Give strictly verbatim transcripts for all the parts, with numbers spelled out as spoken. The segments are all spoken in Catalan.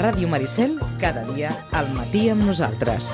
Ràdio Maricel, cada dia al matí amb nosaltres.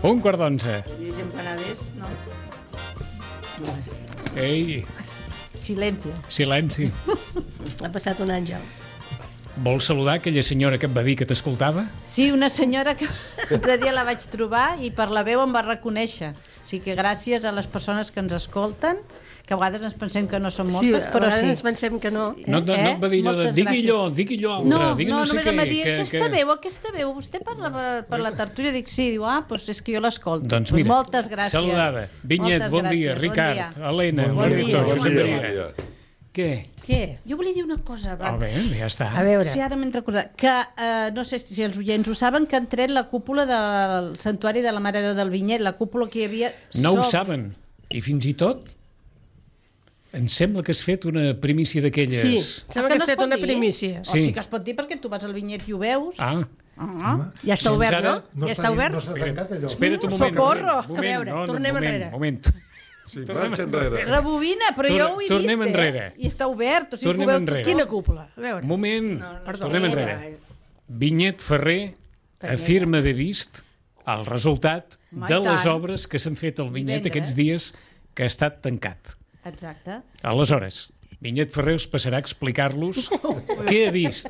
Un quart d'onze. I empanades, no? Ei, Silenci. silenci. Ha passat un àngel. Vols saludar aquella senyora que et va dir que t'escoltava? Sí, una senyora que l'altre dia la vaig trobar i per la veu em va reconèixer. O sigui que gràcies a les persones que ens escolten, que a vegades ens pensem que no són moltes, sí, però a sí. ens pensem que no. No, no, no et va dir allò de Moltes digui gràcies. allò, digui allò altre, No, digui no, no sé només què. em va dir, que- aquesta que- veu, aquesta veu, vostè parla per, per la tertúlia? Dic, sí, diu, ah, doncs és que jo l'escolto. Doncs Pues mira, moltes gràcies. saludada. Vinyet, Moltes bon gràcies, dia. bon Ricard, dia. Helena, Bon el dia, director, bon Josep dia. Maria. Què? Què? Jo volia dir una cosa, va. Ah, bé, ja està. A veure. Sí, ara m'he recordat que, eh, no sé si els oients ho saben, que han tret la cúpula del Santuari de la Mare de Déu del Vinyet, la cúpula que hi havia... No ho sobre- saben. I fins i tot em sembla que has fet una primícia d'aquelles... Sí, Ah, sembla que que no has es fet pot una dir? primícia. O Sí. sí que es pot dir perquè tu vas al Vinyet i ho veus. Ah, Ah. Ja està Doncs obert, ara no? No Ja està, està obert? no està tancat allò. espera't un moment. Socorro! Un moment, A veure, no, no, tornem moment, enrere. moment. Sí, marxa enrere. Rebobina, però Tor- jo ho he tornem vist, enrere. eh? I està obert. O sigui, Tornem que ho veu enrere. tothom. Quina cúpula? A veure. Un moment, perdó. tornem enrere. Vinyet Ferrer afirma haver vist el resultat Home, de i les tant. obres que s'han fet al Vinyet Divendres. aquests dies que ha estat tancat. Exacte. Aleshores, Vinyet Ferrer us passarà a explicar-los què ha vist.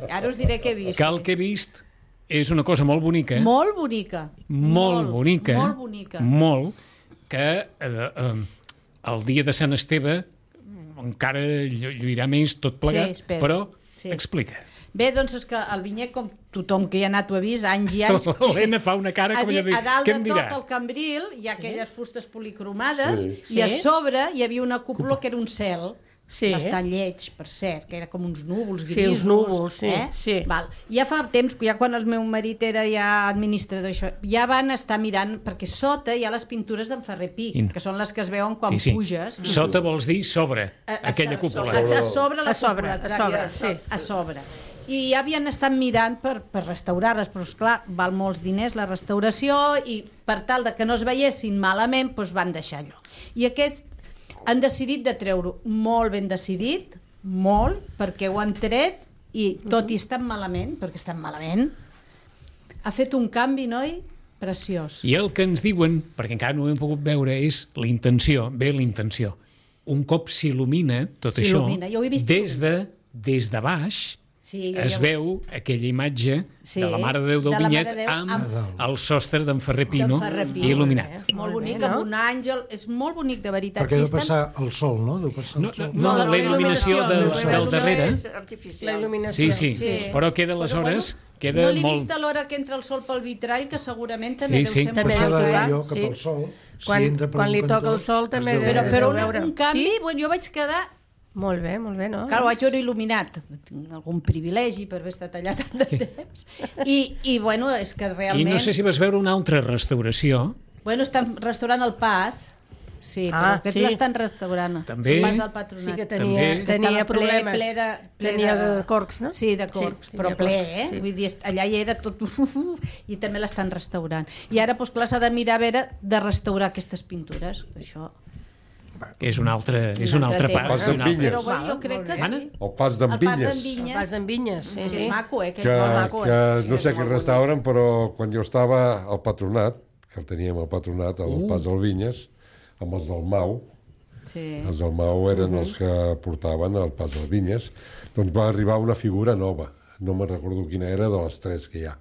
Ara us diré què he vist. Que el que he vist és una cosa molt bonica, Molt bonica. molt bonica, Molt bonica. molt, que eh, eh, el dia de Sant Esteve encara llu- lluirà més tot plegat, Sí, espero. però Sí. explica. Bé, doncs és que el Vinyet, com tothom que hi ha anat ho ha vist, anys i anys... L'Helena fa una cara a, com di- allò de dir, a dalt què de em tot dirà? el cambril hi ha aquelles fustes policromades Sí. i a Sí. sobre hi havia una cúpula que era un cel Sí. bastant lleig, per cert, que era com uns núvols Sí, grisos. uns núvols, sí, eh? sí. Val. Ja fa temps, ja quan el meu marit era ja administrador, això, ja van estar mirant, perquè sota hi ha les pintures d'en Ferrer Pi, In. que són les que es veuen quan Sí, sí. puges. Sota vols dir sobre A- a- aquella a cúpula. sobre, A sobre la A sobre, cúpula, a exacte, sobre, a so- sí. a sobre. I ja havien estat mirant per, per restaurar-les, però esclar, val molts diners la restauració i per tal de que no es veiessin malament, doncs van deixar allò. I aquests han decidit de treure-ho molt ben decidit, molt, perquè ho han tret i tot i estan malament, perquè estan malament, ha fet un canvi, noi, preciós. I el que ens diuen, perquè encara no ho hem pogut veure, és la intenció, bé la intenció. Un cop s'il·lumina tot això, S'il·lumina, jo ho he vist des de, des de baix, Sí, jo es ja ho he veu aquella imatge Sí, de la Mare de Déu del de la Mare Vinyet de Déu amb, amb- el sostre d'en Ferrer Pino D'en Ferrer Pi. il·luminat. Molt Molt bonic, bé, no? amb un àngel, és molt bonic, de veritat. Perquè I deu estan- passar el sol, no? Deu passar No, el sol. no, no, la il·luminació del, no, del no, darrere. és artificial. La il·luminació. Sí, sí, Sí. però queda aleshores... Queda no l'he molt... vist a l'hora que entra el sol pel vitrall, que segurament també Sí, deu sí. ser També molt Passar deu de tocar, jo cap sí. al sol. Quan- si entra per quan un li cantó, toca el sol també es deu deu- Però, veure. però deu una, veure. un canvi, Sí? bueno, jo vaig quedar... Molt bé, molt bé, no? Clar, ho vaig veure il·luminat. Tinc algun privilegi per haver estat allà tant de temps. I, i bueno, és que I realment... no sé si vas veure una altra restauració. Bueno, estan restaurant el pas. Sí, però Ah, aquest sí. l'estan restaurant. També. El pas del patronat. Sí que També. tenia, Que tenia estava ple, problemes. ple de- ple tenia de- de corcs, no? Sí, de corcs, Sí, però tenia ple, corcs, eh? sí. Vull dir, allà hi era tot... I també l'estan restaurant. I ara, doncs clar, s'ha de mirar a veure de restaurar aquestes pintures. Això... És una altra, és Un una altre altra tema. part. Pas de una altra- Vinyes. Però bueno, jo crec que Mana? sí. El pas d'en El pas Vinyes, d'en Vinyes. Vas d'en Vinyes, sí, Que sí. és maco, eh? Que, que, és molt maco, que eh? Sí, no és sé molt qui bonic. restauren, però quan jo estava al patronat, que el teníem al patronat, al Uh. pas del Vinyes, amb els del Mau, Sí. els del Mau eren els que portaven el pas del Vinyes, doncs va arribar una figura nova, no me'n recordo quina era, de les tres que hi ha.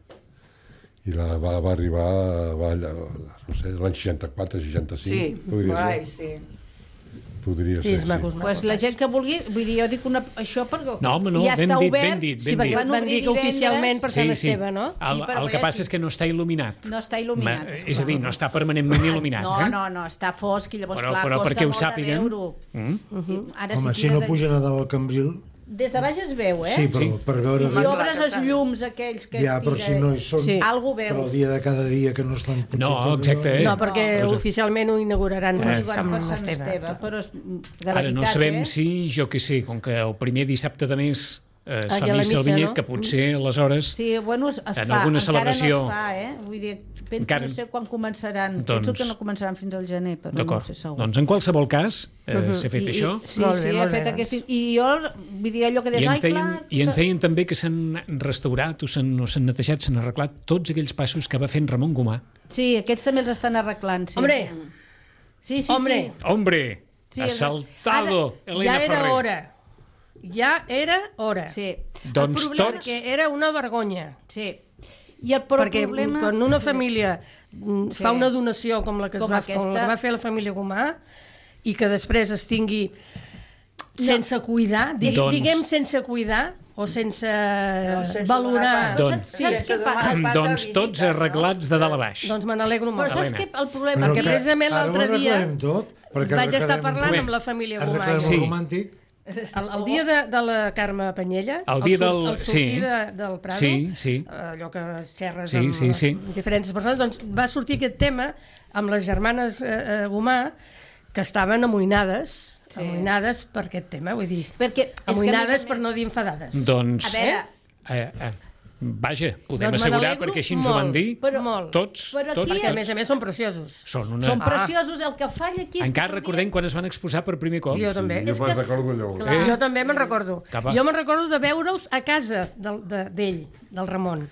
I la va, va arribar va, allà, no sé, l'any seixanta-quatre, seixanta-cinc. Sí, podria ai, ser. sí. Podria Sí, ser, és maco, és sí. maco. Pues la gent que vulgui, vull dir, jo dic una, això perquè No, home, no, ja ben està dit, obert, ben dit, Sí, ben perquè dit. Van van obrir dir que divendres. oficialment per Sant Esteve, no? El, Sí, però el que ja passa sí. és que no està il·luminat. No està il·luminat, Ma- esclar. És a dir, no està permanentment il·luminat. No, eh? no, no, està fosc i llavors, Però- clar, però costa perquè ho molt de sàpiguen. veure-ho. Mm? I Ara, Home, si si no tires... pugen a dalt al cambril, Des de baix es veu, eh? Sí, però Sí. per veure... Si obres els llums aquells que Ja, es però si no hi són, Sí. algú però veus. el dia de cada dia que no estan... potser No, tot exacte, allò- eh? No, perquè No. oficialment ho inauguraran Eh, amb Sant Sant Esteve, Esteve. però és, de Ara veritat, no sabem eh? si, jo què sé, com que el primer dissabte de mes eh, es Ah, fa hi ha la missa al missa, Vinyet, no? que potser aleshores... Sí, bueno, es, es En fa, alguna encara celebració- no es fa, eh? Vull dir, penso, Encara- no sé quan començaran. Doncs- Penso que no començaran fins al gener, però no D'acord, sé segur. doncs en qualsevol cas eh, s'ha fet I, això. I, sí, Molt sí, bé, he molt fet bé, aquest... doncs. I jo, vull dir, allò que I deies, ens, ai, deien, clar... I ens deien també que s'han restaurat o s'han o s'han netejat, s'han arreglat tots aquells passos que va fent Ramon Gomà. Sí, aquests també els estan arreglant, sí. Hombre, Sí, sí, hombre. sí. Hombre, Sí, ha els- saltado Ara, Elena ja era Ferrer. hora. Ja era hora. Sí. Doncs el problema, tots- Que era una vergonya. Sí. I el, però Perquè el problema... quan una família mm, Sí. fa una donació com la que, es Com va, aquesta. com la que va fer la família Gomà i que després es tingui sense cuidar, di Doncs- diguem sense cuidar o sense, sense valorar, donar Però Doncs- saps, saps Sí, què que passa? demà- Doncs passa tots visites, no? arreglats de dalt a baix. doncs me n'alegro Però molt. saps Helena. què? El problema... Perquè que precisament ara ho l'altre dia arreglarem tot, perquè vaig estar arreglarem parlant tot. amb la família Gomà. Arreglarem Sí. el romàntic. El, el dia de, de la Carme Penyella, El dia sur- del- el sortir sí. de, del Prado, Sí, sí. allò que xerres Sí, amb sí, sí. amb diferents persones, doncs va sortir aquest tema amb les germanes eh, eh, Gomà, que estaven amoïnades, Sí. amoïnades per aquest tema, vull dir, Perquè és que, a amoïnades més a per més- no dir enfadades. Doncs, A veure, eh, eh, vaja, podem Doncs me assegurar, n'alegro perquè així ens ho van molt, dir, però- molt. tots, Però tots, aquí- Perquè, a tots. més a més, són preciosos. Són una... Són preciosos, el que falla aquí és Encara que... recordem quan es van exposar per primer cop. Jo també. Jo És me'n que- recordo allò. Clar. Eh? Jo també me'n recordo. Cap a- Jo me'n recordo de veure'ls a casa del- de- d'ell, del Ramon.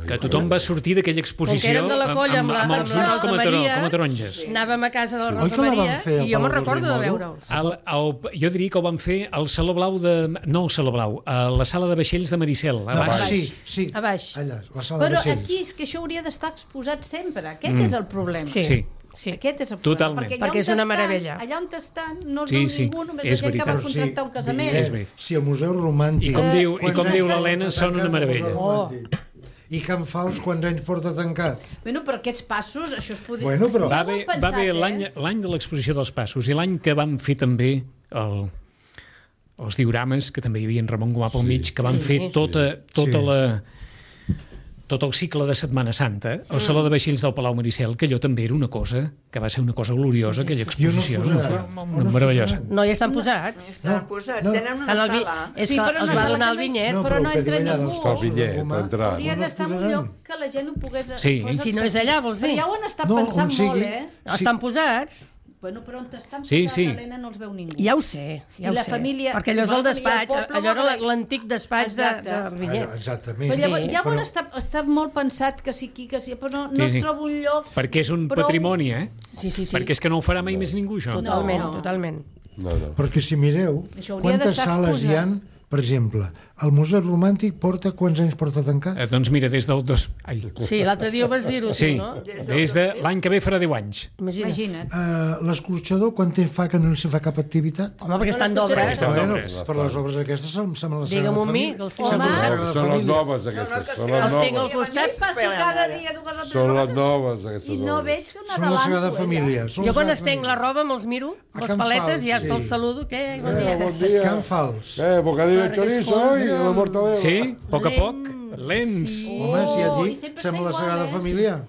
Que tothom va sortir d'aquella Com que exposició érem de la colla amb, la, amb amb els la ulls Rosa com a, taro, Maria, com a taronges. anàvem a casa de la Oi Rosa que la van Maria fer al i jo me'n Palau recordo de Rodrigo? veure'ls. El, el, jo diria que ho van fer al Saló Blau de... No, al Saló Blau, a la sala de vaixells de Maricel, a Ah, baix. sí, sí. A baix. Allà, la sala Però de vaixells. aquí és que això hauria d'estar exposat sempre. Aquest és el problema. Sí. Sí. Sí. Aquest és el problema. Totalment. Perquè, allà Perquè on és una estan- meravella. Allà on estan no es Sí, veu sí, ningú, només és la gent que va veritat. contractar un casament. És veritat. Si el Museu Romàntic... I com diu- i Quants com anys diu porta l'Helena, són una tancat el meravella. Museu Romàntic? I Can Fals, quants anys porta tancat? Bueno, però aquests passos, això es podria... Bueno, però- Va Ja ho hem haver, va pensat, haver eh? l'any l'any de l'exposició dels passos i l'any que van fer també el, els diorames, que també hi havia en Ramon Gomà pel mig, que van Sí. fer tota, tota Sí. la tot el cicle de Setmana Santa, el Saló de Vaixells del Palau Maricel, que allò també era una cosa, que va ser una cosa gloriosa, aquella I on es exposició, posaran? no? On es meravellosa. posaran? No hi estan posats. Estan posats, no. tenen Estan una al vi... sala. És Sí, que però els una va sala donar que el no- vinyet. però no el que entra diu allà ningú. dels Fa el Fals, bitllet, Romà, entrar. Hauria on es d'estar en un posaran? lloc que la gent ho pogués... Sí. fos Si no és allà, vols dir? Però ja ho han estat No, pensant on sigui. molt, eh? Estan posats. Bueno, però on estan Sí, posats, sí. Helena, no els veu ningú. Ja ho sé, ja I ho la sé. família- Perquè allò és el igual que hi ha el despatx, poble, allò era no? l'antic despatx de, Exacte. de Vinyet. Ah, exactament. Però llavors, Sí, llavors però- està, està molt pensat que sí, aquí, que sí, però no, no Sí, es sí. troba un lloc... Perquè és un prou- patrimoni, eh? Sí, sí, sí. Perquè és que no ho farà mai més ningú, això. Totalment, No. totalment. No, no. Perquè si mireu, Això hauria quantes d'estar sales hi exposat. han, per exemple, el Museu Romàntic porta quants anys porta tancat? Eh, doncs mira, des del dos... Ai. Sí, l'altre dia ho vas dir-ho, Sí, tu, no? des de l'any que ve farà deu anys. Imagina't. Imagina't. Uh, L'escorxador, quant temps fa que no se fa cap activitat? Home, perquè estan Però d'obres. Estan Bueno, d'obres. per les obres aquestes se, se me les Digue'm un mi, que els tinc Se al me les costat. Sagrada Són les Família. noves, aquestes. Són les Els tinc al noves. costat. Jo passo cada dia dues o tres Són les vegades noves, aquestes i no obres. veig que una Són la Sagrada adelanto, Família. Són Jo la quan Sagrada estenc la Família. roba me'ls miro, A les Can paletes, Fals, i ja sí. els saludo. Què? Bon Eh, dia. bon dia. Can Fals. Eh, bocadillo de Perquè chorizo escolta, i la mortadela. Sí, a poc a poc, lents. Home, si et Oh, i dic, sempre sembla està la igual, Sagrada eh? Família.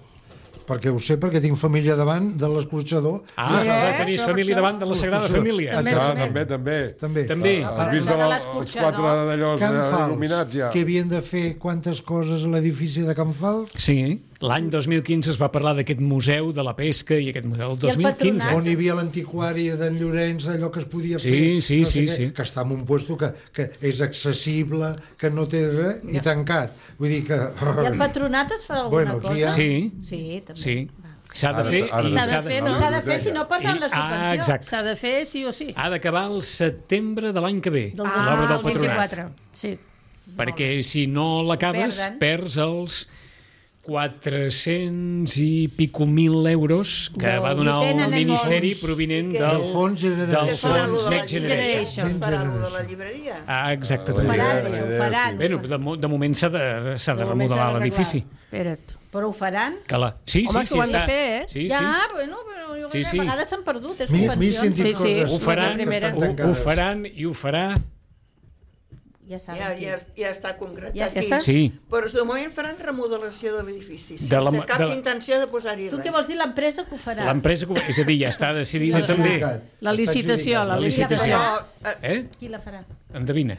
Perquè ho sé, perquè tinc família davant de l'escorxador. Ah, Eh? doncs tenies Això, família això. davant de la Sagrada Això. Família. També, Ah, també. també, també. També. També. Has vist De el- els l'escorxador. quatre d'allò Can eh, Fals, il·luminats ja? que havien de fer quantes coses a l'edifici de Can Fals? Sí, l'any dos mil quinze es va parlar d'aquest museu de la pesca i aquest museu el dos mil quinze. patronat. On hi havia l'antiquari d'en Llorenç, allò que es podia Sí, fer. sí, no sé sí, què, sí. Que està en un lloc que, que és accessible, que no té res, i tancat. Vull dir que... I el patronat es farà alguna Bueno, aquí cosa? hi ha- Sí, Sí, també. sí. S'ha de Ara- fer ara i de- s'ha de fer, no? S'ha de fer, si no perdran la I- ah, subvenció. exacte. S'ha de fer sí o sí. Ha d'acabar el setembre de l'any que ve, Del l'obra del del patronat. vint-i-quatre. Sí. Perquè si no l'acabes, Perden. perds els quatre-cents i pico mil euros que Del- va donar I el tenen el Ministeri fons. provinent I què? del, Del fons Generation. del Faran lo fons de la Next Generation. Generation. llibreria? Faran lo de la llibreria? Ah, exacte. Ah, Ho també. faran, La això, ho idea, faran. sí. Bé, de, mo- de moment s'ha de, s'ha de De moment s'ha remodelar d'arreglar. l'edifici. Espera't. Però ho faran? Que la... Sí, Home, sí, sí, s'ho han de està. fer, eh? Sí, ja, sí. bueno, però jo Sí, crec que sí. a vegades s'han perdut, és M'he m'he subvencions. sentit Sí, sí. coses Ho faran, la primera. que ho, estan ho tancades. faran i ho farà Ja saben Ja, qui. ja, ja està concretat Ja aquí. està? Sí. Però de moment faran remodelació de l'edifici, sense De la- cap de la- intenció de posar-hi Tu res. què vols dir, l'empresa que ho farà? L'empresa, que ho- és a dir, ja està decidida Està també. adjudicat. La Està licitació, adjudicat. la La licitació. licitació. Però, eh, Eh? Qui la farà? Endevina.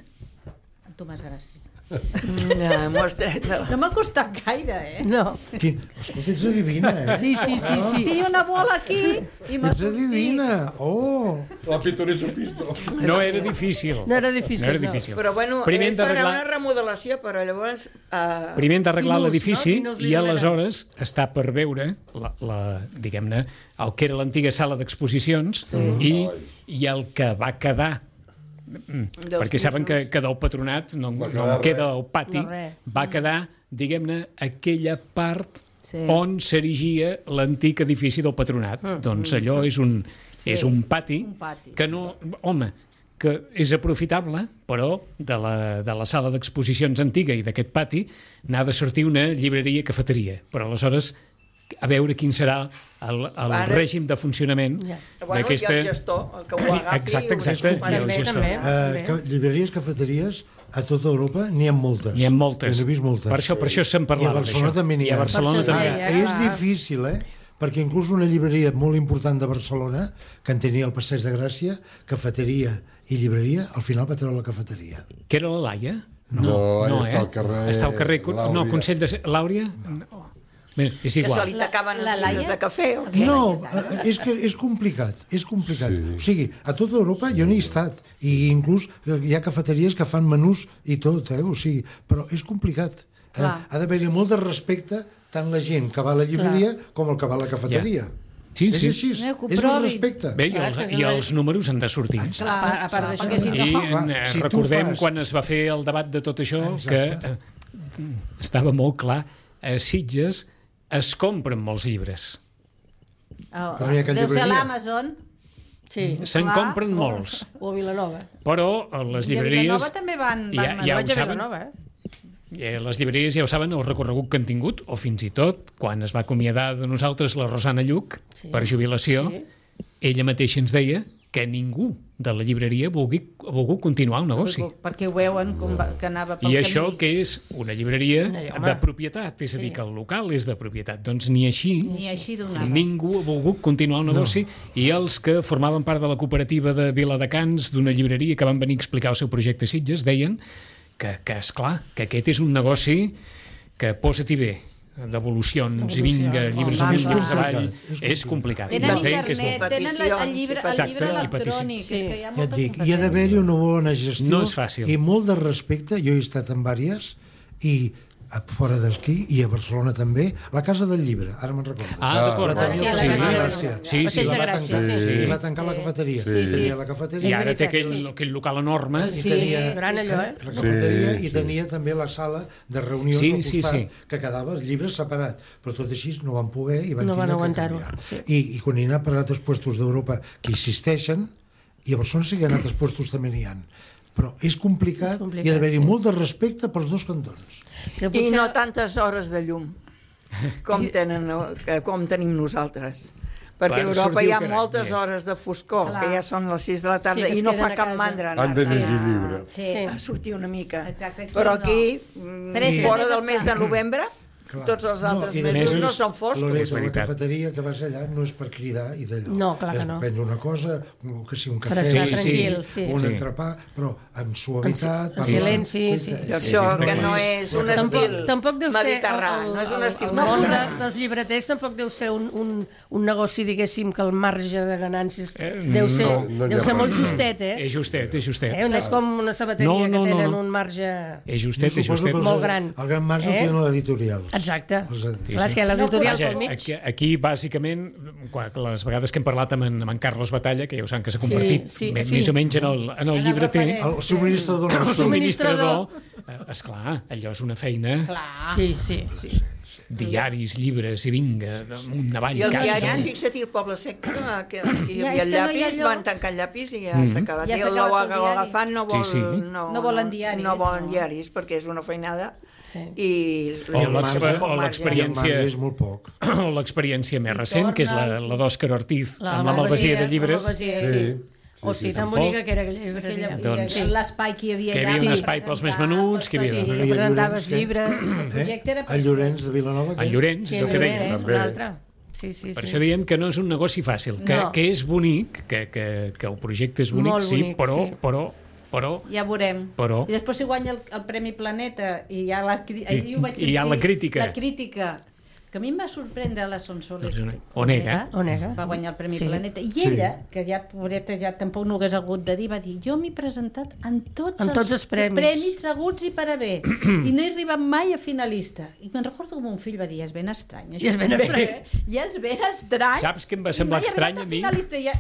En Tomàs Gràcia. no, m'ho has tret de la... No m'ha costat gaire, eh? No. Quin... Escolta, ets adivina, eh? Sí, sí, sí, sí. Tinc una bola aquí i m'ha Ets sortit. adivina. Oh! La pitonisso pisto. No era difícil. No era difícil, No era no. difícil. Però bueno, Primer ell hem farà d'arreglar- una remodelació, però llavors... Eh, Primer hem d'arreglar Quin ús, l'edifici no? Quin ús li i donarà? aleshores està per veure la, la, diguem-ne, el que era l'antiga sala d'exposicions sí. i, i el que va quedar mm, Dels perquè saben que, pisos. que del patronat no, no quedar en queda el pati, No res. va quedar, diguem-ne, aquella part Sí. on s'erigia l'antic edifici del patronat. Mm. Doncs allò és un, sí. és un pati, Un pati. que no... Home, que és aprofitable, però de la, de la sala d'exposicions antiga i d'aquest pati n'ha de sortir una llibreria-cafeteria. Però aleshores, a veure quin serà el, el Ara- règim de funcionament Ja. bueno, d'aquesta... i el gestor, el que ho agafi... Exacte, ho exacte, agafi, i el També, gestor. també. Uh, ca llibreries, cafeteries, a tota Europa n'hi ha moltes. N'hi ha moltes. Jo n'he vist moltes. Per això, per això se'n I a parlava Barcelona d'això. també n'hi I a ha. Barcelona Per això també. es Ara, deia, és clar. difícil, eh? Perquè inclús una llibreria molt important de Barcelona, que en tenia el Passeig de Gràcia, cafeteria i llibreria, al final va treure la cafeteria. Que era la Laia? No, no, està eh? al carrer Està al carrer... No, Làuria. Consell de... Làuria? No. Bé, és Que se igual. li tacaven La- la els llibres Laia? de cafè o què? No, eh, és que és complicat, és complicat. Sí. O sigui, a tota Europa jo n'hi he estat, i inclús hi ha cafeteries que fan menús i tot, eh? O sigui, però és complicat. Eh? Clar. Ha d'haver-hi molt de respecte tant la gent que va a la llibreria com el que va a la cafeteria. Sí, és sí. així, Eh, que ho és el provin. respecte. Bé, i Clar, els, és que i és els números han de sortir. Clar, A part- a part d'això. perquè si I no... en, eh, si tu recordem fas- quan es va fer el debat de tot això Exacte. que eh, estava molt clar, a Sitges es compren molts llibres. Oh, Però hi ha cap deu ser a llibreria. l'Amazon. Sí. Se'n Clar. compren molts. O a Vilanova. Però a les I a llibreries... Vilanova també van... van ja, manar. ja ho Vaig a saben, Vilanova, eh? eh, les llibreries ja ho saben, el recorregut que han tingut, o fins i tot, quan es va acomiadar de nosaltres la Rosana Lluc, Sí. per jubilació, Sí. ella mateixa ens deia que ningú de la llibreria vulgui, ha volgut continuar el negoci. Perquè ho veuen com va, que anava pel I camí. això que és una llibreria No, home. de propietat, és a dir, que el local és de propietat. Doncs ni així, Ni així donava. ningú ha volgut continuar el negoci, i els que formaven part de la cooperativa de Viladecans, d'una llibreria que van venir a explicar el seu projecte a Sitges, deien que, que esclar, que aquest és un negoci que posa-t'hi bé, devolucions i vinga, llibres Home, amunt, clar. llibres avall, És és complicat. Tenen Ens deien que és internet, molt- tenen la, el llibre, el Exacte, llibre i peticions. electrònic. Sí. És que hi ha Ja et molta dic, hi ha d'haver-hi una bona gestió No és fàcil. i molt de respecte. Jo he estat en vàries i a fora d'esquí i a Barcelona també, la Casa del Llibre, ara me'n recordo. Ah, d'acord. La tenia Sí, el la Passeig de Gràcia. Gràcia. Sí, sí. Passeig I la de va Gràcia, tancar, sí, sí. i va tancar la cafeteria. Sí, sí. Tenia la I cafeteria ara té veritat, aquell, sí. aquell local enorme. i Sí, tenia gran allò, eh? la cafeteria Sí, i sí. tenia també la sala de reunions Sí, al sí, costat, sí. que quedava els llibres separats, però tot així no van poder i van No van tindre que aguantar-ho, canviar. sí. I, I quan hi ha per altres puestos d'Europa que insisteixen, i a Barcelona sí que en altres puestos també n'hi ha, però és complicat, És complicat, i ha d'haver-hi sí. molt de respecte pels dos cantons. Que I potser- no tantes hores de llum com, tenen, eh, com tenim nosaltres. Perquè a Per Europa sortir hi ha al carrer, moltes bé. hores de foscor, Clar. que ja són les sis de la tarda, Sí, que es i no queden fa a cap casa. mandra Han de anar-se llegir a, llibre. Sí. Sí. a sortir una mica. Exacte, aquí Però no. aquí, mm, Tres fora mesos del mes de està. novembre, Clar. tots els altres i de mesos més, no són foscos. Loreto, És la veritat. cafeteria que vas allà no és per cridar i d'allò. No, clar que és no. prendre una cosa, un- que sigui un Per cafè, estar Sí, tranquil, sí. un Sí. entrepà, però amb suavitat. En parlant. silenci, sí. I Sí, això sí, que sí. no és un Tampoc, estil tampoc deu ser mediterrani, no és un estil el, el món de, mediterrani. dels llibreters tampoc deu ser un, un, un negoci, diguéssim, que el marge de ganàncies Eh, deu ser, no, no deu hi ha ser res. molt justet, eh? És justet, és justet. eh? No és com una sabateria No, no, que no, tenen no. un marge... És Jo justet, és suposo justet. que els- Molt gran. El gran marge Eh? el tenen l'editorial. Exacte. Els editors. Clar, és que l'editorial Vaja, pel mig... aquí, aquí, bàsicament, quan, les vegades que hem parlat amb en, amb en Carlos Batalla, que ja ho saben que s'ha convertit Sí, sí, me- sí. més o menys en el, en el llibreter, El subministrador el nostre. subministrador, eh, esclar, allò és una feina, Clar. Sí, sí, sí. diaris, llibres, i vinga, damunt, avall, I els casa. diaris, fixa't, el Poble Sec, que, que aquí hi Ja, havia és el que no hi ha llapis, allò. van tancar el llapis i ja Mhm. s'ha acabat. Ja I s'ha el acabat el l'ho diari. agafat no vol... Sí, sí. No, No volen diaris, No volen no. diaris, perquè és una feinada. Sí. I, O i l'exper- el marge- o el marge- I el l'experiència- marge és molt poc. L'experiència més recent, que és la, la d'Òscar Ortiz, La amb la malvasia de llibres. La malvasia, Sí. sí. o sigui, tan tampoc. bonica que era aquella llibreria. Aquella, Doncs- i l'espai que hi havia Que hi allà. havia un per espai pels més presentar, menuts, que hi havia- Sí, Bueno, que i a presentaves Llorenç, què? llibres. El projecte era El Llorenç de Vilanova. El Llorenç, Sí, és el que deia. Llorenç, També. un altre. Sí, sí, Per sí. això diem que no és un negoci fàcil, que, No. que és bonic, que, que, que el projecte és bonic, Molt sí, bonic, però, sí. però, però, Ja veurem. Però- I després si guanya el, el Premi Planeta i hi ha la, cri- ahir ho vaig i hi ha sentir, la crítica. La crítica, que a mi em va sorprendre la Sonsoles. Doncs Onega. Onega. Va guanyar el Premi Sí. Planeta. I ella, que ja, pobreta, ja tampoc no ho hagués hagut de dir, va dir, jo m'he presentat en tots, En tots els premis. premis haguts i per haver. I no he arribat mai a finalista. I me'n recordo que mon fill va dir, és ben estrany. Això. I és ben estrany. I és ben estrany. Saps què em va I semblar mai he estrany arribat a mi? finalista. I,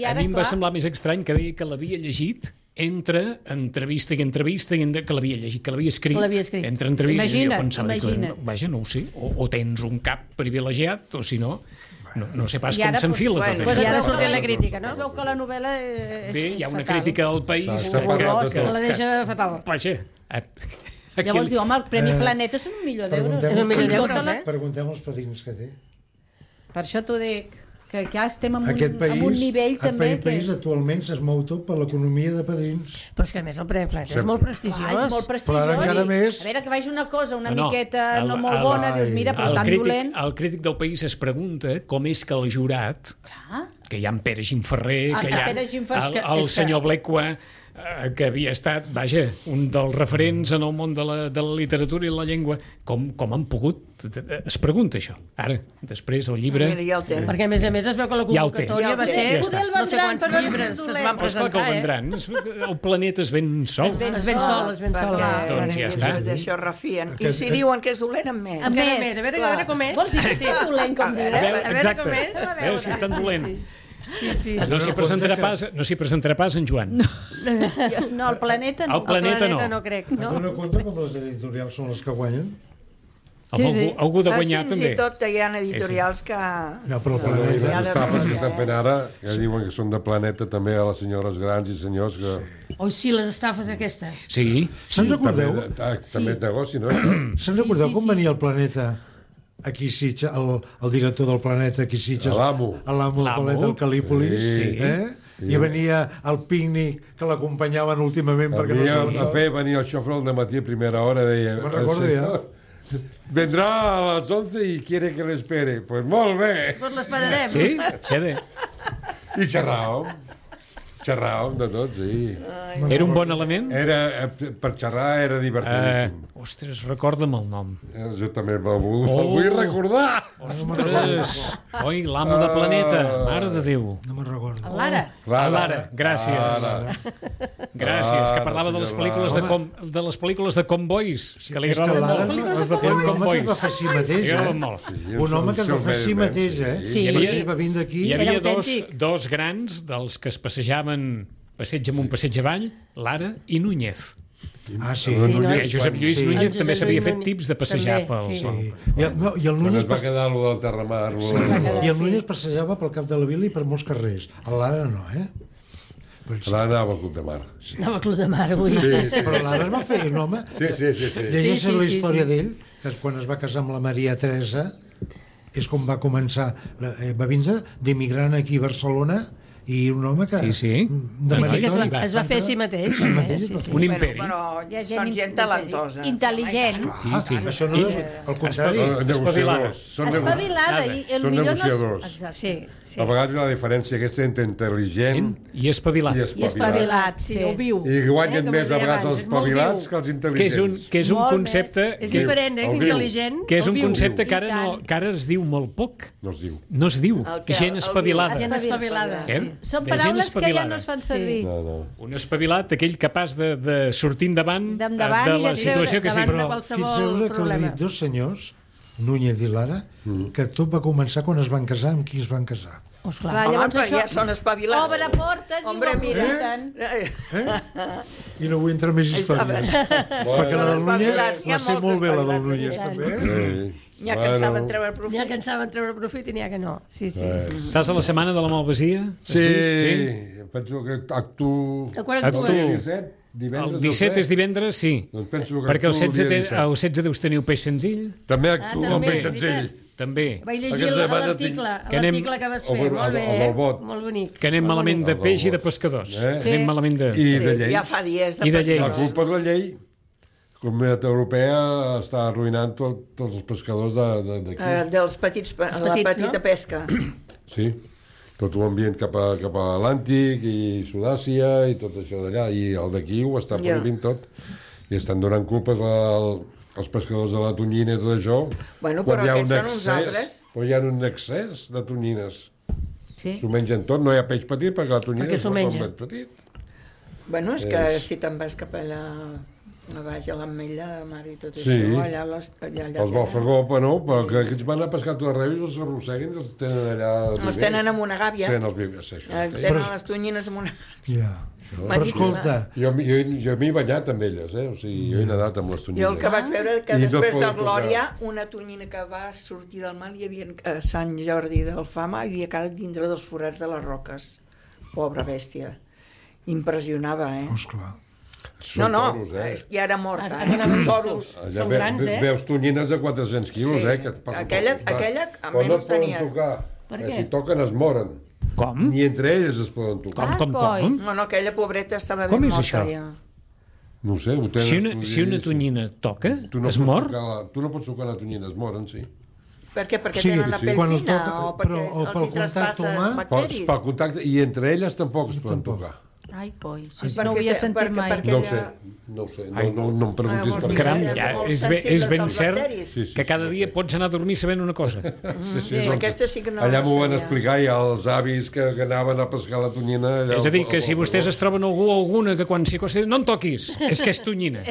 i a ara, mi em va clar, semblar més estrany que deia que l'havia llegit entre entrevista i entrevista, i entre, que l'havia llegit, que l'havia escrit, Que l'havia escrit. entre entrevista, Imagina't, i jo pensava, imagina't. que, vaja, no ho sé, o, o tens un cap privilegiat, o si no, no, no sé pas I com ara, s'enfila doncs, tot bueno, això. I ara es veu surt que la crítica, no? Es veu que la novel·la és, Bé, hi ha una fatal. crítica del país S'ha que, parlat de que, tot. Que la deixa fatal. vaja, a- aquí, Llavors diu, home, el Premi Eh, Planeta és un milió d'euros. preguntem- És un milió I tota d'euros, la- eh? Preguntem els padrins que té. Per això t'ho dic, que ja estem en un, Aquest país, en un nivell també aquest país que... actualment es mou tot per l'economia de padrins. Però és que a més el Premi Planeta és Sempre. molt Clar, prestigiós. és molt prestigiós. Però ara encara i, més. A veure, que vagi una cosa una No, no, miqueta el- no molt el- bona, dius, mira, però el tan crític, dolent... el crític del país es pregunta com és que el jurat, Clar. que hi ha en Pere Gimferrer, Ah, que hi ha Pere Gimferrer, el, que- el és que- senyor Blecua, eh, que havia estat, vaja, un dels referents en el món de la, de la literatura i la llengua, com, com han pogut? Es pregunta això. Ara, després el llibre... Mira, ja el té. Perquè, a més a més, es veu que la Ja el té. convocatòria Ja el va té. ser... Ja està. No sé Poder el quants vendran, però llibres no és es dolent. van Oh, esclar que presentar, ho eh? vendran. Es- El planeta es ven sol. Es ven Es ven sol, es ven sol. Perquè Doncs ja està. D'això refien. I Aquest- si diuen que és dolent, amb més. Amb Encara més, més. A veure, clar. a veure com és. Vols dir que és tan dolent, com diu? A veure, A veure exacte. com és. A veure si és tan dolent. Sí, sí. No s'hi presentarà pas, no s'hi presentarà pas en Joan. No, el planeta no. El planeta no. no crec. Es No. dona compte com les editorials són les que guanyen? Algú, algú, algú de Ah, guanyar Fins també. i tot hi ha editorials que... No, però el Però planeta... les estafes que eh? estan fent ara, que diuen que són de planeta també a les senyores grans i senyors que... Oi, sí, les estafes aquestes. Sí, Se'n També, recordeu? ah, també és negoci, no? Se'n recordeu com venia el planeta aquí a Sitges, el, el director del planeta aquí a Sitges? L'amo. L'amo del L'amo. planeta, el Calípolis. Sí. Eh? I venia el pícnic que l'acompanyaven últimament perquè no Venia a sabia. fer, venia el xofre al dematí a primera hora, deia... Me'n recordo "El ja. senyor Vendrá a las once y quiere que le espere. Pues molt bé. Doncs l'esperarem. sí, xede. I xerràvem. Xerràvem de tot, sí. Era un bon element? Era, eh, per xerrar era Uh, divertidíssim. ostres, recorda'm el nom. Eh, Jo també me'l vull, Oh. oh. vull recordar. Ostres, oi, l'amo de planeta, mare de Déu. No me'n recordo. Lara. A Lara, gràcies. Lara. Gràcies, que Lara, parlava de les senyor pel·lícules de, Lara. com, de les pel·lícules de Combois, que li és que agraden Lara- molt. Les de Era un home que es Combois. va fer a si mateix, Li agraden eh? molt. Un home que es va fer a si mateix, eh? Sí. Hi havia- Perquè va vindre aquí... Hi havia Era dos, autèntic. dos grans dels que es passejaven passeig amunt, passeig avall, Lara i Núñez. Ah, sí. Sí, no? Que Josep Lluís Sí. Núñez El també Josep s'havia Lluís fet Núñez tips de passejar també, pel... sí. pel- I el, no, i el Quan Núñez, es va pas, quedar allò del Terramar... Sí. i el Núñez passejava pel cap de la vila i per molts carrers. A l'Ara no, eh? Però, L'Ara anava al Club de Mar. Anava al Club de Mar avui. Sí, però l'Ara es va fer un home... sí, sí. sí, sí. Llegeixen Sí, sí, la sí, història sí. d'ell, que és quan es va casar amb la Maria Teresa, és com va començar, la- eh, va vindre d'immigrant aquí a Barcelona, i un home que... Sí, sí. De Sí, sí, que es va, meritori. es va fer a si mateix. Sí, Eh? Sí, sí. Un imperi. Bueno, Hi ha són gent in- talentosa. Intel·ligent. Sí, sí. Ah, això no és... Al contrari... No, negociadors. Són, nego... Espavilada. I el Són millor no negociadors. és... Exacte. Sí, sí. A vegades hi ha la diferència aquesta entre intel·ligent I espavilat. i I espavilat. espavilat, sí. Sí, ho viu. I guanyen Eh, com més deia a vegades abans, els és molt espavilats viu. que els Que és intel·ligents. un, que és un Molt concepte... És que, diferent, eh? El viu. Intel·ligent. que és el un viu. concepte que I ara, no, tant. que ara es diu molt poc. No es diu. No es diu. El que- Gent el espavilada. Gent espavilada. Sí. Eh? Són De gent paraules que ja espavilada. no es fan servir. No, no. Un espavilat, aquell capaç de, de sortir endavant, D'endavant de i la de situació que treure sigui. davant. Però qualsevol fixeu-vos que heu problema. dit dos senyors, Núñez i Lara, que tot va començar quan es van casar, amb qui es van casar. Oh, Clar, esclar. Home, llavors però això ja són espavilats. obre portes Hombre, i ho mira. aprofiten. I no vull entrar en més històries. Perquè la del Núñez espavilats, hi ha va ser molts molt bé, la del espavilats, Núñez, i tant. també. Sí. N'hi ha que en saben treure N'hi ha profit. que en saben treure profit i n'hi ha que no. Sí, sí. Eh. Estàs a la setmana de la Malvasia? Has Sí, vist? penso que actuo... A quan Actuo. actues? El disset, divendres El disset és divendres, sí. Doncs penso que Perquè el actuo el setze, dia té, disset. el setze deus tenir un peix senzill. També Ah, actuo també, amb peix és senzill. veritat. també. Vaig llegir Aquesta setmana l'article Que anem- l'article que vas el- fer, el- molt bé, el del bot. molt bonic. Que anem molt malament bonic. de peix i de pescadors. Eh? Sí. Anem malament de... I de Sí, llei. ja fa dies de I de La lleis. pescadors. culpa és la llei. La Comunitat Europea està arruïnant tot, tots els pescadors de- de- d'aquí. Eh, dels petits, pe- la petits, petita no? pesca. Sí, tot l'ambient cap a, cap a l'Atlàntic i Sud-àsia i tot això d'allà. I el d'aquí ho està Ja. prohibint tot. I estan donant culpes al, als pescadors de la tonyina i tot això. Bueno, quan però hi ha un aquests són uns excés, altres. quan hi ha un excés de tonyines. Sí. S'ho mengen tot, no hi ha peix petit perquè la tonyina Perquè s'ho és menja. un peix petit. Bueno, és que És- si te'n vas cap allà a baix a l'Ametlla de Mar i tot Sí. això, allà, les, allà, allà Els Balfagó, bueno, però que aquests van a pescar tot arreu i els arrosseguen i els tenen allà... Els tenen amb una gàbia. Tenen els vivers, sí, això. Eh, tenen les tonyines amb una... Ja. Però Marítima. escolta, Jo, jo, jo m'he banyat amb elles, eh? O sigui, jo he nedat amb les tonyines. Jo el que vaig veure que I no després poden del Glòria, tocar. una tonyina que va sortir del mar, hi havia a Sant Jordi del Fama, i havia quedat dintre dels forats de les roques. Pobra bèstia. Impressionava, eh? esclar. No, Són no, toros, eh? és- ja era morta, Ah, ah, eh? no, Toros. són- són grans, eh? Veus tonyines de quatre-cents quilos, Sí. eh? Que et passen Aquella- pel costat. aquella, a Però no menys es poden tenia. tocar. Per Eh, què? Si toquen es moren. Com? Ni entre elles es poden tocar. Com, com, coi. com? No, no, aquella pobreta estava Com ben és morta això? ja. No ho sé, ho tenen Si una, estudis. si una tonyina toca, Tu no es pots mor? tocar la- Tu no pots tocar la tonyina, es moren, sí. Per què? Perquè Sí, tenen la sí. pell Quan el fina toca- o perquè però- o els pel hi contacte traspasses humà- Pel, bacteris? pel contacte, i entre elles tampoc es poden Tampoc. tocar. Ai, coi, Sí, sí, no ho havia perquè- sentit perquè- mai. perquè- No ho Aquella- sé, no ho sé. No, no, no em preguntis Ah, per vols dir què. Caram, Eren ja, molt és, ben, és sensibles ben als cert bacteris. Sí, sí, que cada sí, dia sí. pots anar a dormir sabent una cosa. Sí, sí, Sí, doncs, aquesta sí que no allà la m'ho van sabia. explicar i els avis que, que anaven a pescar la tonyina... Allà És a dir, al- que si al- vostès es troben algú o alguna que quan s'hi acosta, no em toquis, és que és tonyina.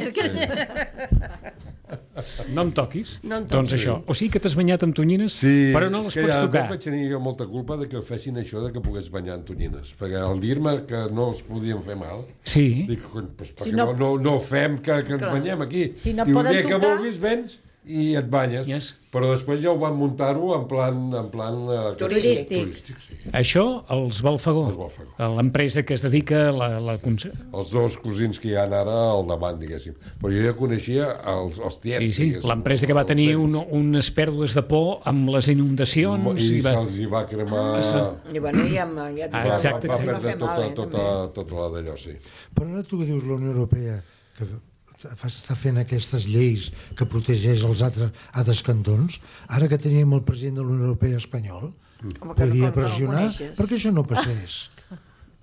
No em toquis. No em toquis. Doncs això. O sigui que t'has banyat amb tonyines, Sí, però no és les que pots ja tocar. vaig tenir jo molta culpa de que fessin això de que pogués banyar en tonyines, perquè al dir-me que no es podien fer mal, Sí. dic, cony, pues, perquè Si no, no- no, no fem que, que ens banyem aquí. Si no I poden un dia que tocar- vulguis vens i et banyes. Yes. Però després ja ho van muntar-ho en plan... En plan eh, Turístic. turístic sí. Això, els Balfagó, Els Balfagó. l'empresa que es dedica a la, la... conse- Els dos cosins que hi ha ara al davant, diguéssim. Però jo ja coneixia els, els tiets. Sí, sí, diguéssim, l'empresa que va els tenir temps. un, unes pèrdues de por amb les inundacions. I I va... se'ls hi va cremar... Ah, I bueno, ja, ja et Ah, dic, exacte, va, va exacte. perdre fer tota, mal, eh, tota, també. tota la d'allò, sí. Però ara tu que dius la Unió Europea, que fa- està fent aquestes lleis que protegeix els altres, altres cantons, ara que teníem el president de la Unió Europea espanyol, Home, que no- podia que no el pressionar coneixes. perquè això no passés.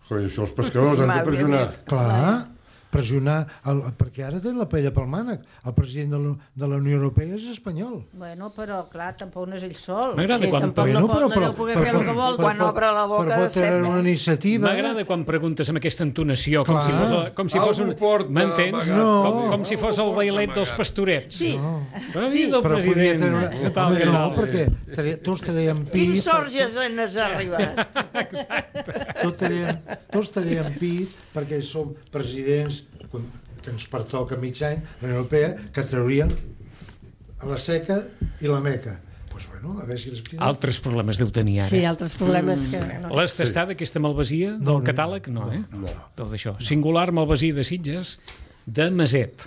Però això els pescadors han de Va, pressionar. Clar, pressionar, el, perquè ara tenen la paella pel mànec. El president de la, de la Unió Europea és espanyol. Bueno, però clar, tampoc no és ell sol. M'agrada Sí, quan... tampoc no pot, no deu poder fer el que vol. Quan obre la boca, però pot sembla. treure una iniciativa. M'agrada quan preguntes amb aquesta entonació, com Clar. si fos, el- com si fos un... Algú porta M'entens? amagat. No. Com, com si fos el bailet dels pastorets. Sí. Bona vida, el Però podia president. treure una... Què tal, Home, què no, tal? perquè tre- tots traiem pit. Quins sorges n'has arribat? Tots traiem, tots traiem pit perquè som presidents que ens pertoca mig any, la Unió Europea, que traurien a la seca i la meca. Doncs pues bueno, a veure si les piden. Altres problemes deu tenir ara. Sí, altres problemes que... No. L'has tastat, aquesta malvasia del No, no, catàleg? No, eh? No. Tot això. Singular malvasia de Sitges, de Maset.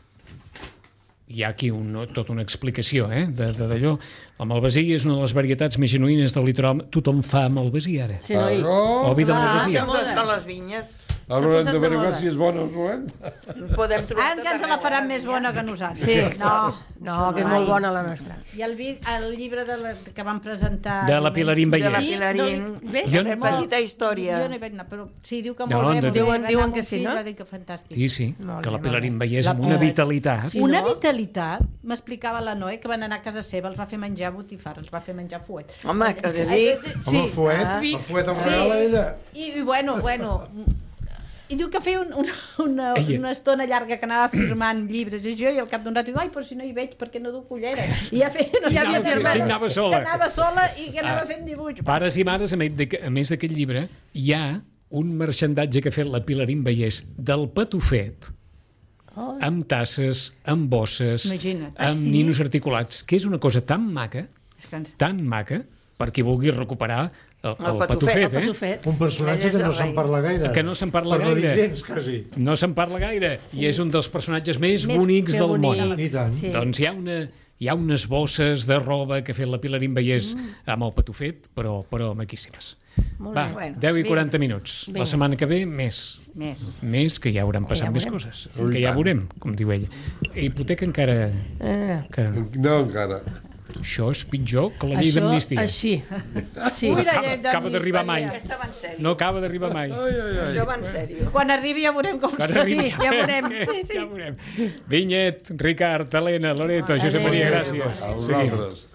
Hi ha aquí un, tota una explicació, eh? De, de, d'allò. La malvasia és una de les varietats més genuïnes del litoral. Tothom fa malvasia, ara. Sí, no? I... Oh, O vi de Clar, malvasia. moda. Sempre són les vinyes. ara s'ha haurem posat de de verificar moda. si és bona o no és. Podem trobar Ah, que ens la faran més bona que nosaltres. Sí, No, no, que és molt bona la nostra. I el, vi, el llibre de la, que van presentar... De la Pilarín De la Vallès. Pilarín. Bé, Jo Una no- petita història. Jo no hi vaig anar, però sí, diu que No, molt bé. de- molt bé. Diuen- Va diuen anar que amb sí, un fill, no? Va dir que fantàstic. Sí, sí, Molt que bé, la Pilarín molt bé. Vallès amb La- una eh, vitalitat. sí. Una no? vitalitat, m'explicava la Noé, que van anar a casa seva, els va fer menjar botifarra, els va fer menjar fuet. Home, que de Ai, dir... eh, Home, el fuet, Ah. el fuet el Sí. regala ella. I, i bueno, bueno... I diu que feia un, un, una, Ella. una estona llarga que anava firmant llibres i jo, i al cap d'un rato diu, ai, però si no hi veig, perquè no duc ulleres. I ja feia, no Ja havia sabia firmat. firmar. Sí, anava sola. Que anava sola i que anava Ah. fent dibuix. Pares i mares, a més d'aquest- a més d'aquest llibre, hi ha un marxandatge que ha fet la Pilarín Vallès del patufet, Oh. amb tasses, amb bosses, Imagina't. amb Ah, sí? ninos articulats, que és una cosa tan maca, És que ens- tan maca, per qui vulgui recuperar el, el, El patufet, patufet, El eh? patufet. Un personatge Ell és que no el se'n rei. parla gaire. Que no se'n parla per no dir gaire. gens, quasi. No se'n parla gaire, i és un dels personatges més, Més- bonics que del bonic. món. I tant. Sí. Doncs hi ha una, hi ha unes bosses de roba que ha fet la Pilarín Vallès mm. amb el patufet, però, però maquíssimes. Molt Va, bé. Bueno, deu i vinga. quaranta minuts. Vinga. La setmana que ve, més. Més. Més, que ja hauran passat ja més veurem. coses. Que ja veurem, com diu ella. Hipoteca encara... Eh, encara no. No, encara. Això és pitjor que la llei això, d'amnistia. així. Sí. Ui, la Acaba, llei acaba d'arribar mai. Aquesta va en sèrio. No acaba d'arribar mai. Això va en sèrio. Quan arribi ja veurem com Quan serà. arribi, Sí, ja veurem. Sí, sí. Ja veurem. Vinyet, Ricard, Helena, Loreto, Josep Maria, gràcies. A vosaltres.